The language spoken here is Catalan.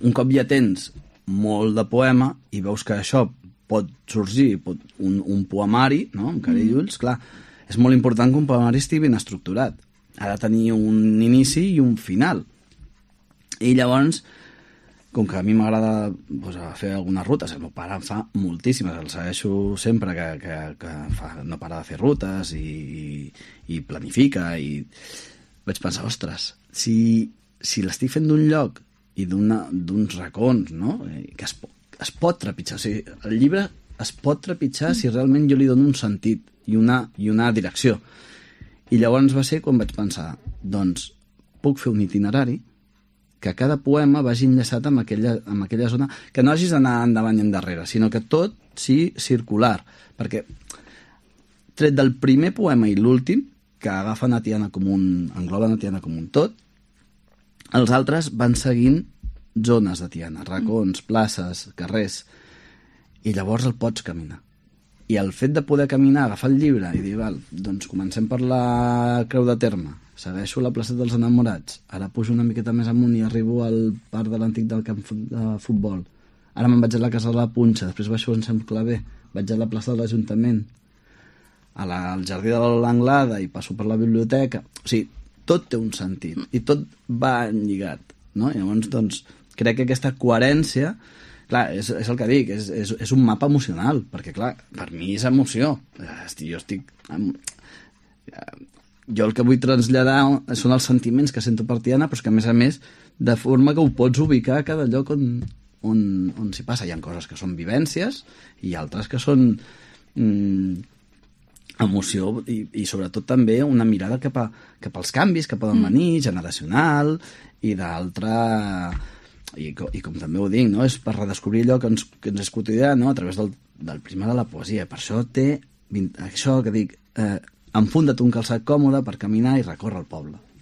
un cop ja tens molt de poema i veus que això pot sorgir un poemari, no?, amb cara i ulls, clar, és molt important que un poemari estigui ben estructurat. Ha de tenir un inici i un final. I llavors, com que a mi m'agrada fer algunes rutes, el meu pare en fa moltíssimes, el segueixo sempre que no para de fer rutes i planifica, i vaig pensar, ostres, si l'estic fent d'un lloc i d'uns racons, no?, que es pot trepitjar, o sigui, el llibre es pot trepitjar si realment jo li dono un sentit i una direcció. I llavors va ser quan vaig pensar, doncs puc fer un itinerari que cada poema vagi enllaçat amb aquella zona, que no hagis d'anar endavant i endarrere, sinó que tot sigui circular, perquè tret del primer poema i l'últim, que agafen engloben a Tiana com un tot, els altres van seguint zones de Tiana, racons, places, carrers, i llavors el pots caminar. I el fet de poder caminar, agafar el llibre i dir, val, doncs comencem per la Creu de Terme, segueixo la placeta dels Enamorats, ara pujo una miqueta més amunt i arribo al parc de l'antic del camp de futbol, ara me'n vaig a la Casa de la Punxa, després baixo en Sant Claver, vaig a la plaça de l'Ajuntament, al jardí de l'Anglada i passo per la biblioteca. O sigui, tot té un sentit i tot va lligat, no? I llavors, doncs, crec que aquesta coherència, clar, és el que dic, és un mapa emocional, perquè, clar, per mi és emoció. Jo el que vull traslladar són els sentiments que sento per Tiana, però que, a més, de forma que ho pots ubicar a cada lloc on s'hi passa. Hi ha coses que són vivències i altres que són emoció i sobretot també una mirada cap als canvis que poden venir, generacional i d'altra... I com també ho dic, no? És per redescobrir allò que ens és quotidià, no?, a través del prisma de la poesia. Per això té això que dic, enfunda't un calçat còmode per caminar i recórrer el poble.